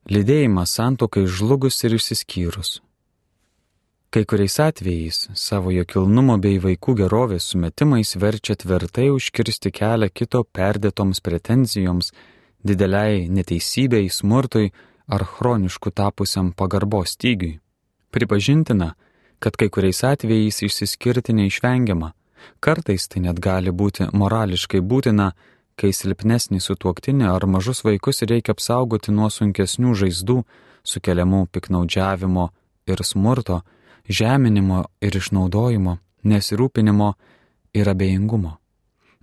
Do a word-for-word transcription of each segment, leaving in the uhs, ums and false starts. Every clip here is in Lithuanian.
Lydėjimas santuokai žlugus ir išsiskyrus. Kai kuriais atvejais savojo kilnumo bei vaikų gerovės sumetimais verčia tvirtai užkirsti kelią kito perdėtoms pretenzijoms, dideliai neteisybei, smurtui ar chronišku tapusiam pagarbos stygiui. Pripažintina, kad kai kuriais atvejais išsiskirti neišvengiama, kartais tai net gali būti morališkai būtina, kai silpnesnį sutuoktinį ar mažus vaikus reikia apsaugoti nuo sunkesnių žaizdų, sukeliamų piknaudžiavimo ir smurto, žeminimo ir išnaudojimo, nesirūpinimo ir abejingumo.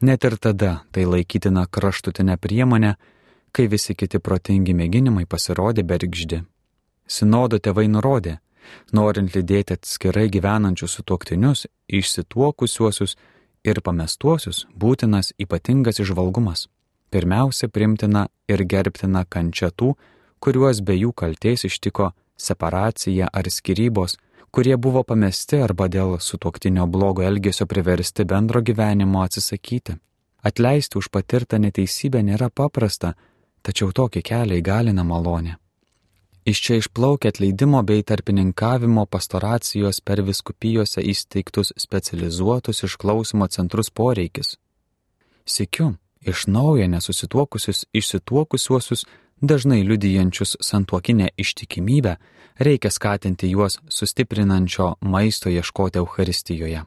Net ir tada tai laikytina kraštutinė priemonė, kai visi kiti protingi mėginimai pasirodė bergždi. Sinodo tėvai nurodė, norint lydėti atskirai gyvenančius sutuoktinius, išsituokusiuosius ir pamestuosius, būtinas ypatingas įžvalgumas. Pirmiausia, primtina ir gerbtina kančia tų, kuriuos be jų kaltės ištiko separacija ar skyrybos, kurie buvo pamesti arba dėl sutuoktinio blogo elgesio priversti bendro gyvenimo atsisakyti. Atleisti už patirtą neteisybę nėra paprasta, tačiau tokį kelią įgalina malonė. Iš čia išplaukia atleidimo bei tarpininkavimo pastoracijos per vyskupijose įsteigtus specializuotus išklausymo centrus poreikis. Sykiu, iš naujo nesusituokusius išsituokusiuosius, dažnai liudijančius santuokinę ištikimybę, reikia skatinti juos sustiprinančio maisto ieškoti Eucharistijoje.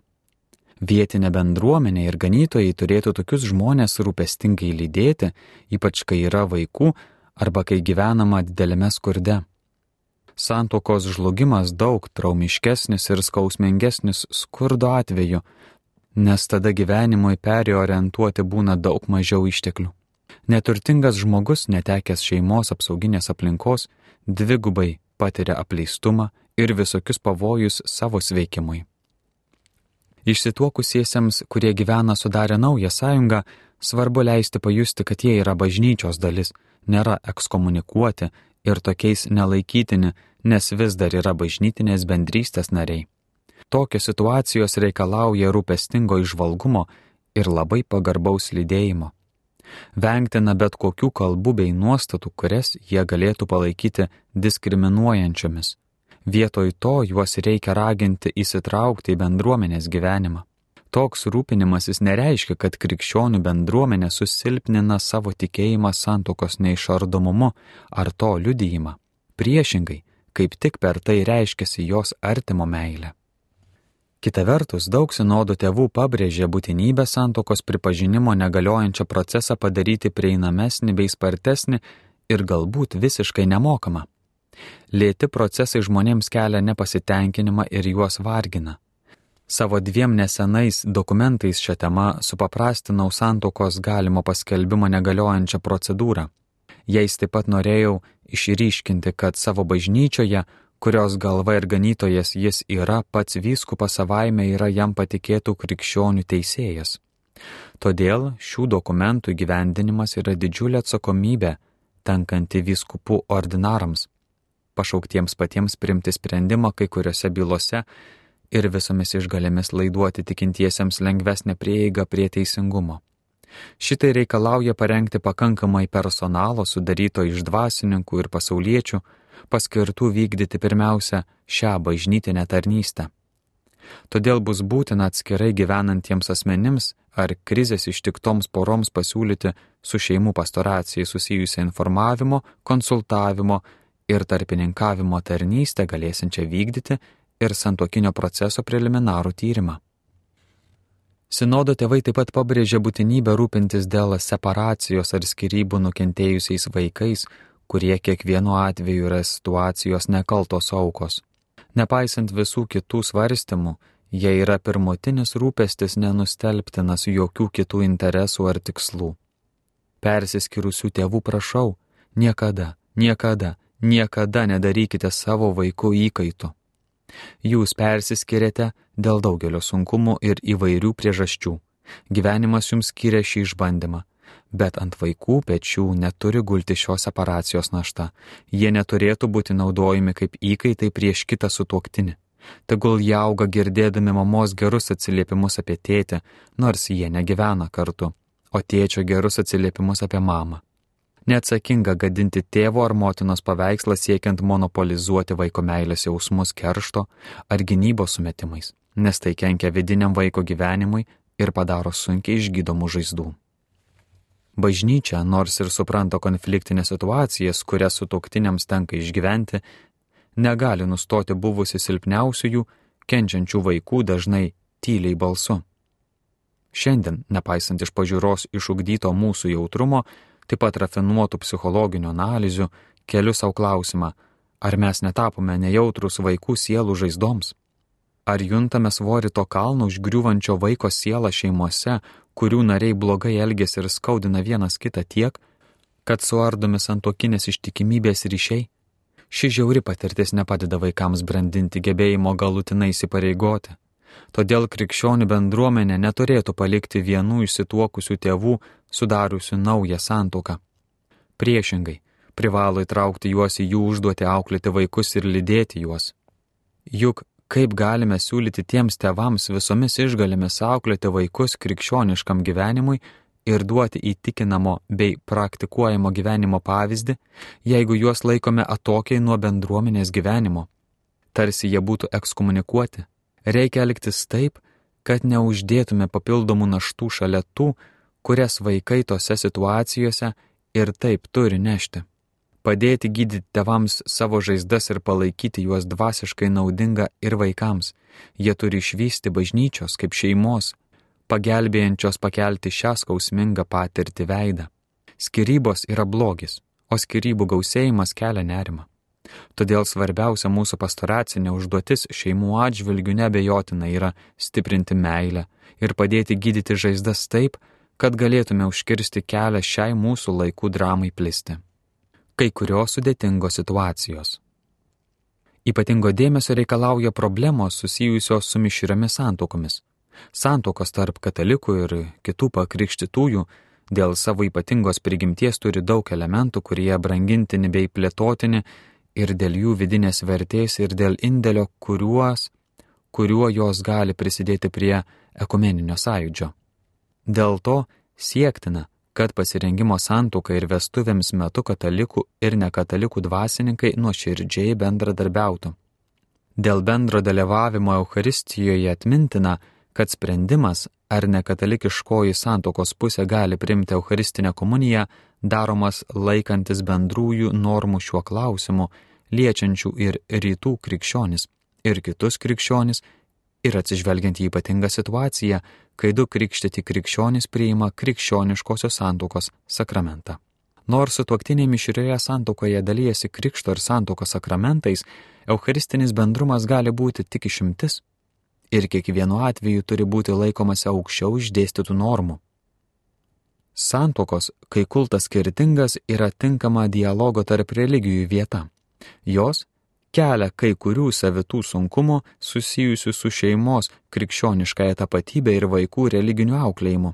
Vietinė bendruomenė ir ganytojai turėtų tokius žmonės rūpestingai lydėti, ypač kai yra vaikų arba kai gyvenama dideliame skurde. Santuokos žlugimas daug traumiškesnis ir skausmingesnis skurdo atveju, nes tada gyvenimui periorientuoti būna daug mažiau išteklių. Neturtingas žmogus, netekęs šeimos apsauginės aplinkos, dvigubai patiria apleistumą ir visokius pavojus savo sveikimui. Išsituokusiesiems, kurie gyvena sudarę naują sąjungą, svarbu leisti pajusti, kad jie yra bažnyčios dalis, nėra ekskomunikuoti ir tokiais nelaikytini, nes vis dar yra bažnytinės bendrystės nariai. Tokios situacijos reikalauja rūpestingo įžvalgumo ir labai pagarbaus lydėjimo. Vengtina bet kokių kalbų bei nuostatų, kurias jie galėtų palaikyti diskriminuojančiomis. Vietoj to juos reikia raginti įsitraukti į bendruomenės gyvenimą. Toks rūpinimasis nereiškia, kad krikščionių bendruomenė susilpnina savo tikėjimą santuokos neišardomumu ar to liudijimą. Priešingai, kaip tik per tai reiškiasi jos artimo meilė. Kita vertus, daug sinodo tėvų pabrėžė būtinybę santuokos pripažinimo negaliojančią procesą padaryti prieinamesnį bei spartesnį ir galbūt visiškai nemokamą. Lėti procesai žmonėms kelia nepasitenkinimą ir juos vargina. Savo dviem nesenais dokumentais šią temą supaprastinau santuokos galimo paskelbimo negaliojančią procedūrą. Jais taip pat norėjau išryškinti, kad savo bažnyčioje, kurios galva ir ganytojas jis yra, pats vyskupas savaime yra jam patikėtų krikščionių teisėjas. Todėl šių dokumentų įgyvendinimas yra didžiulė atsakomybė, tenkanti vyskupų ordinarams, pašauktiems patiems priimti sprendimą kai kuriuose bylose ir visomis išgalėmis laiduoti tikintiesiems lengvesnę prieigą prie teisingumo. Šitai reikalauja parengti pakankamai personalo sudaryto iš dvasininkų ir pasauliečių, paskirtų vykdyti pirmiausia šią bažnytinę tarnystę. Todėl bus būtina atskirai gyvenantiems asmenims ar krizės ištiktoms poroms pasiūlyti su šeimų pastoracijai susijusią informavimo, konsultavimo ir tarpininkavimo tarnystę galėsiančią vykdyti ir santuokinio proceso preliminarų tyrimą. Sinodo tėvai taip pat pabrėžė būtinybę rūpintis dėl separacijos ar skyrybų nukentėjusiais vaikais, kurie kiekvienu atveju yra situacijos nekaltos aukos. Nepaisant visų kitų svarstymų, jie yra pirmutinis rūpestis nenustelbtinas jokių kitų interesų ar tikslų. Persiskyrusių tėvų prašau, niekada, niekada, niekada nedarykite savo vaikų įkaitų. Jūs persiskiriate dėl daugelio sunkumų ir įvairių priežasčių. Gyvenimas jums skiria šį išbandymą. Bet ant vaikų pečių neturi gulti šios separacijos našta. Jie neturėtų būti naudojami kaip įkaitai prieš kitą sutuoktinį. Tegul jie auga girdėdami mamos gerus atsiliepimus apie tėtį, nors jie negyvena kartu, o tėčio gerus atsiliepimus apie mamą. Neatsakinga gadinti tėvo ar motinos paveikslą siekiant monopolizuoti vaiko meilės jausmus keršto ar gynybos sumetimais, nes tai kenkia vidiniam vaiko gyvenimui ir padaro sunkiai išgydomų žaizdų. Bažnyčia, nors ir supranta konfliktinės situacijas, kurias sutuoktiniams tenka išgyventi, negali nustoti buvusi silpniausiųjų, kenčiančių vaikų dažnai tyliai balsu. Šiandien, nepaisant iš pažiūros išugdyto mūsų jautrumo, taip pat rafinuotų psichologinių analizių, keliu savo klausimą, ar mes netapome nejautrus vaikų sielų žaizdoms? Ar juntame svorį to kalno užgriūvančio vaiko sielą šeimose, kurių nariai blogai elgiasi ir skaudina vienas kitą tiek, kad suardomi santuokinės ištikimybės ryšiai? Ši žiauri patirtis nepadeda vaikams brandinti gebėjimo galutinai įsipareigoti. Todėl krikščionių bendruomenė neturėtų palikti vienų išsituokusių tėvų sudariusių naują santuoką. Priešingai, privalo įtraukti juos į jų užduotį auklėti vaikus ir lydėti juos. Juk kaip galime siūlyti tiems tėvams visomis išgalėmis auklėti vaikus krikščioniškam gyvenimui ir duoti įtikinamo bei praktikuojamo gyvenimo pavyzdį, jeigu juos laikome atokiai nuo bendruomenės gyvenimo? Tarsi jie būtų ekskomunikuoti. Reikia elgtis taip, kad neuždėtume papildomų naštų šalia tų, kurias vaikai tose situacijose ir taip turi nešti. Padėti gydyti tėvams savo žaizdas ir palaikyti juos dvasiškai naudinga ir vaikams. Jie turi išvysti bažnyčios kaip šeimos, pagelbėjančios pakelti šią skausmingą patirtį veidą. Skyrybos yra blogis, o skyrybų gausėjimas kelia nerimą. Todėl svarbiausia mūsų pastoracinė užduotis šeimų atžvilgių neabejotina yra stiprinti meilę ir padėti gydyti žaizdas taip, kad galėtume užkirsti kelią šiai mūsų laikų dramai plisti. Kai kurios sudėtingos situacijos. Ypatingo dėmesio reikalauja problemos susijusios su mišriomis santuokomis. Santuokos tarp katalikų ir kitų pakrikštytųjų dėl savo ypatingos prigimties turi daug elementų, kurie brangintini bei plėtotini ir dėl jų vidinės vertės ir dėl indėlio, kuriuos, kuriuo jos gali prisidėti prie ekumeninio sąjūdžio. Dėl to siektina, kad pasirengimo santuokai ir vestuvėms metu katalikų ir nekatalikų dvasininkai nuoširdžiai bendradarbiautų. Dėl bendro dalyvavimo Eucharistijoje atmintina, kad sprendimas, ar nekatalikiškoji santuokos pusė gali priimti Eucharistinę komuniją, daromas laikantis bendrųjų normų šiuo klausimu, liečiančių ir rytų krikščionis, ir kitus krikščionis, ir atsižvelgiant į ypatingą situaciją, kai du krikštyti krikščionis priima krikščioniškosios santuokos sakramentą. Nors sutuoktiniai mišrioje santuokoje dalijasi krikšto ir santuokos sakramentais, eucharistinis bendrumas gali būti tik išimtis ir kiekvienu atveju turi būti laikomasi aukščiau išdėstytų normų. Santuokos, kai kultas skirtingas, yra tinkama dialogo tarp religijų vieta. Jos kelia kai kurių savitų sunkumų susijusių su šeimos krikščioniškąja tapatybė ir vaikų religiniu auklėjimu.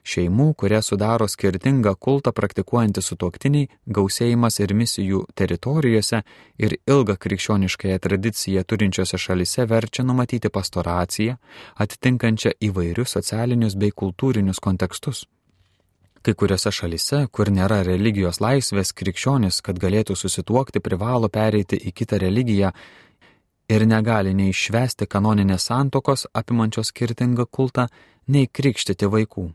Šeimų, kurie sudaro skirtingą kultą praktikuojantys sutuoktiniai, gausėjimas ir misijų teritorijose ir ilgą krikščioniškąją tradiciją turinčiose šalise verčia numatyti pastoraciją, atitinkančią įvairius socialinius bei kultūrinius kontekstus. Kai kuriuose šalise, kur nėra religijos laisvės, krikščionis, kad galėtų susituokti, privalo pereiti į kitą religiją ir negali nei švęsti kanoninės santuokos apimančios skirtingą kultą, nei krikštyti vaikų.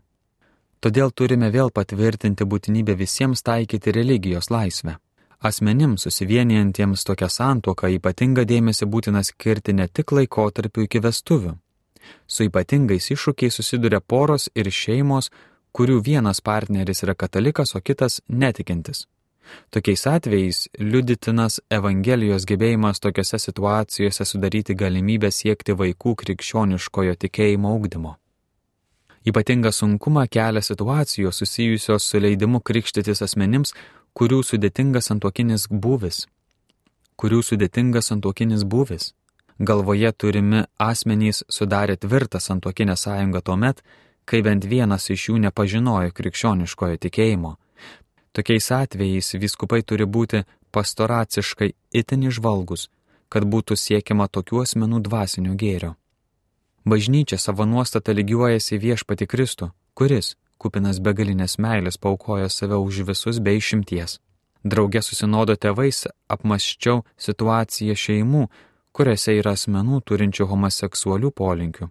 Todėl turime vėl patvirtinti būtinybę visiems taikyti religijos laisvę. Asmenims susivienijantiems tokią santuoką ypatingą dėmesį būtina skirti ne tik laikotarpiu iki vestuvių. Su ypatingais iššūkiais susiduria poros ir šeimos, kurių vienas partneris yra katalikas, o kitas netikintis. Tokiais atvejais liudytinas Evangelijos gebėjimas tokiose situacijose sudaryti galimybę siekti vaikų krikščioniškojo tikėjimo ugdymo. Ypatingą sunkumą kelia situacijos susijusios su leidimu krikštytis asmenims, kurių sudėtingas santuokinis būvis. Kurių sudėtingas santuokinis būvis. Galvoje turimi asmenys sudarė tvirtą santuokinę sąjungą tuomet, kai bent vienas iš jų nepažinojo krikščioniškojo tikėjimo. Tokiais atvejais vyskupai turi būti pastoraciškai itin įžvalgus, kad būtų siekiama tokių asmenų dvasinio gėrio. Bažnyčia savo nuostatą lygiuojasi viešpatį Kristų, kuris, kupinas begalinės meilės paaukojo save už visus be išimties. Drauge su sinodo tėvais apmąsčiau situaciją šeimų, kuriuose yra asmenų turinčių homoseksualių polinkių.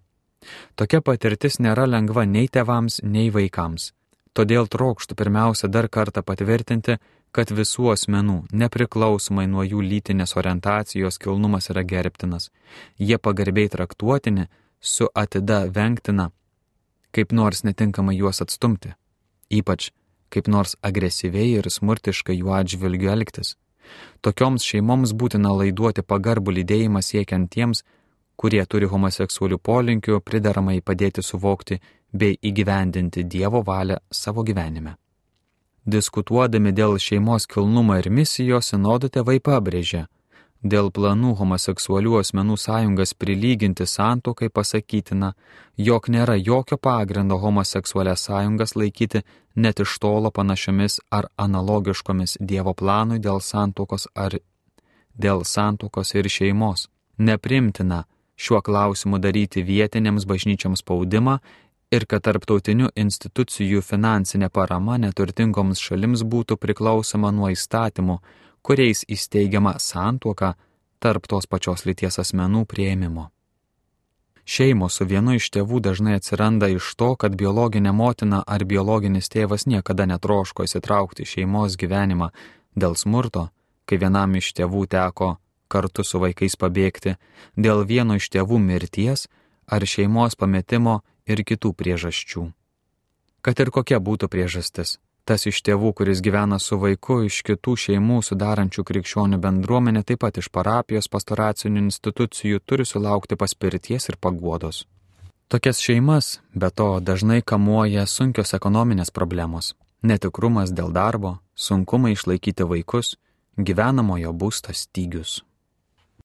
Tokia patirtis nėra lengva nei tėvams, nei vaikams. Todėl trokštų pirmiausia dar kartą patvirtinti, kad visų asmenų, nepriklausomai nuo jų lytinės orientacijos, kilnumas yra gerbtinas. Jie pagarbiai traktuotini, su atida vengtina, kaip nors netinkamai juos atstumti, ypač kaip nors agresyviai ir smurtiškai jų atžvilgiu elgtis. Tokioms šeimoms būtina laiduoti pagarbų lydėjimą siekiant tiems, kurie turi homoseksualių polinkių, prideramai padėti suvokti bei įgyvendinti Dievo valią savo gyvenime. Diskutuodami dėl šeimos kilnumo ir misijos, sinodo tėvai pabrėžė, dėl planų homoseksualių asmenų sąjungas prilyginti santuokai pasakytina, jog nėra jokio pagrindo homoseksualias sąjungas laikyti net iš tolo panašiomis ar analogiškomis Dievo planui dėl santuokos ar dėl santuokos ir šeimos. Neprimtina šiuo klausimu daryti vietinėms bažnyčioms spaudimą ir kad tarptautinių institucijų finansinė parama neturtingoms šalims būtų priklausoma nuo įstatymų, kuriais įsteigiama santuoka tarp tos pačios lyties asmenų priėmimo. Šeimos su vienu iš tėvų dažnai atsiranda iš to, kad biologinė motina ar biologinis tėvas niekada netroško įsitraukti į šeimos gyvenimą dėl smurto, kai vienam iš tėvų teko kartu su vaikais pabėgti, dėl vieno iš tėvų mirties ar šeimos pametimo ir kitų priežasčių. Kad ir kokia būtų priežastis, tas iš tėvų, kuris gyvena su vaiku iš kitų šeimų sudarančių krikščionių bendruomenę, taip pat iš parapijos pastoracinių institucijų, turi sulaukti paspirties ir paguodos. Tokias šeimas, be to, dažnai kamuoja sunkios ekonominės problemos, netikrumas dėl darbo, sunkumai išlaikyti vaikus, gyvenamojo būsto stygius.